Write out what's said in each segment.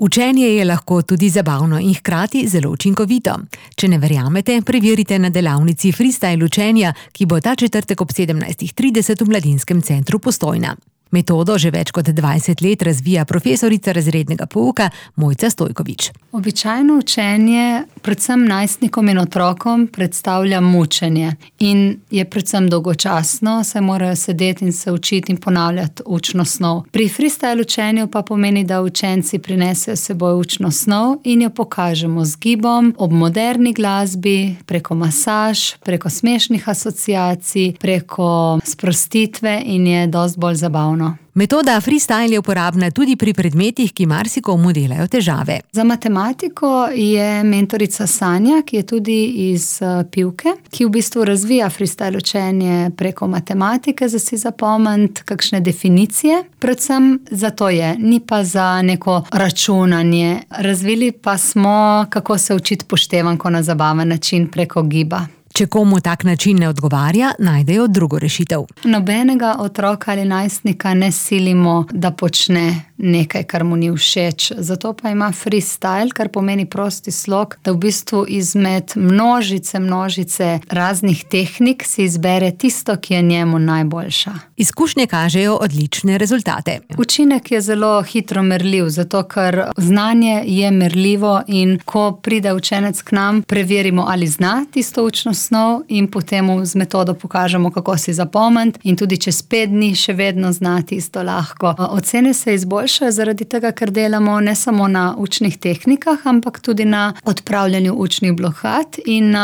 Učenje je lahko tudi zabavno in hkrati zelo učinkovito. Če ne verjamete, preverite na delavnici freestyle učenja, ki bo ta četrtek ob 17:30 v Mladinskem centru Postojna. Metodo že več kot 20 let razvija profesorica razrednega pouka Mojca Stojkovič. Običajno učenje, predvsem najstnikom in otrokom, predstavlja mučenje in je predvsem dolgočasno, saj morajo sedeti in se učiti in ponavljati učno snov. Pri freestyle učenju pa pomeni, da učenci prinesejo s seboj učno snov in jo pokažemo z gibom, ob moderni glasbi, preko masaž, preko smešnih asociacij, preko sprostitve in je dosti bolj zabavno. Metoda freestyle je uporabna tudi pri predmetih, ki marsikomu delajo težave. Za matematiko je mentorica Sanja, ki je tudi iz Pivke, ki v bistvu razvija freestyle učenje preko matematike, za si zapomniti kakšne definicije. Predvsem zato je, ni pa za neko računanje. Razvili pa smo, kako se učiti poštevanko na zabaven način preko giba. Če komu tak način ne odgovarja, najdejo drugo rešitev. Nobenega otroka ali najstnika ne silimo, da počne nekaj, kar mu ni všeč. Zato pa ima freestyle, kar pomeni prosti slog, da v bistvu izmed množice raznih tehnik si izbere tisto, ki je njemu najboljša. Izkušnje kažejo odlične rezultate. Učinek je zelo hitro merljiv, zato ker znanje je merljivo in ko pride učenec k nam, preverimo, ali zna tisto učno snov in potem z metodo pokažemo, kako si zapomniti in tudi čez 5 dni še vedno zna tisto lahko. Ocene se izboljšajo zaradi tega, ker delamo ne samo na učnih tehnikah, ampak tudi na odpravljanju učnih blokad in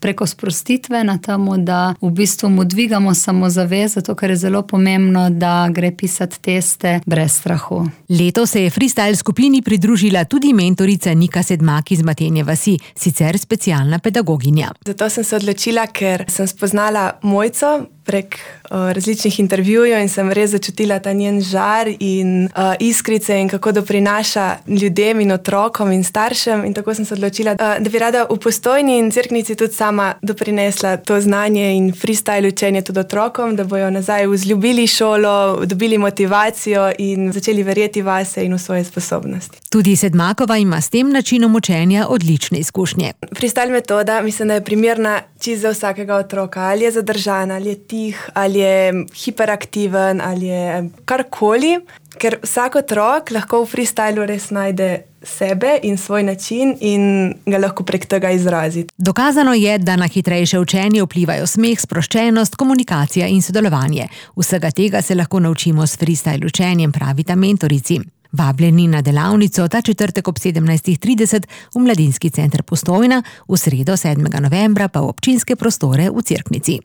preko sprostitve na temu, da v bistvu mu dvigamo samozavest, zato ker je zelo pomembno, da gre pisati teste brez strahu. Letos se je freestyle skupini pridružila tudi mentorica Nika Sedmak iz Matenje vasi, sicer specialna pedagoginja. Zato sem se odločila, ker sem spoznala Mojco prek različnih intervjujev in sem res začutila ta njen žar in iskrice in kako doprinaša ljudem in otrokom in staršem, in tako sem se odločila, da bi rada v Postojni in Cerknici tudi sama doprinesla to znanje in freestyle učenje tudi otrokom, da bojo nazaj vzljubili šolo, dobili motivacijo in začeli verjeti vase in v svoje sposobnosti. Tudi Sedmakova ima s tem načinom učenja odlične izkušnje. Freestyle metoda mislim, da je primerna čisto za vsakega otroka, ali je zadržan, ali je tih, ali je hiperaktiven, ali je karkoli, ker vsak otrok lahko v freestylu res najde sebe in svoj način in ga lahko prek tega izrazi. Dokazano je, da na hitrejše učenje vplivajo smeh, sproščenost, komunikacija in sodelovanje. Vsega tega se lahko naučimo s freestyle učenjem, pravita mentorici. Vabljeni na delavnico ta četrtek ob 17:30 v Mladinski center Postojna, v sredo 7. novembra pa v občinske prostore v Cerknici.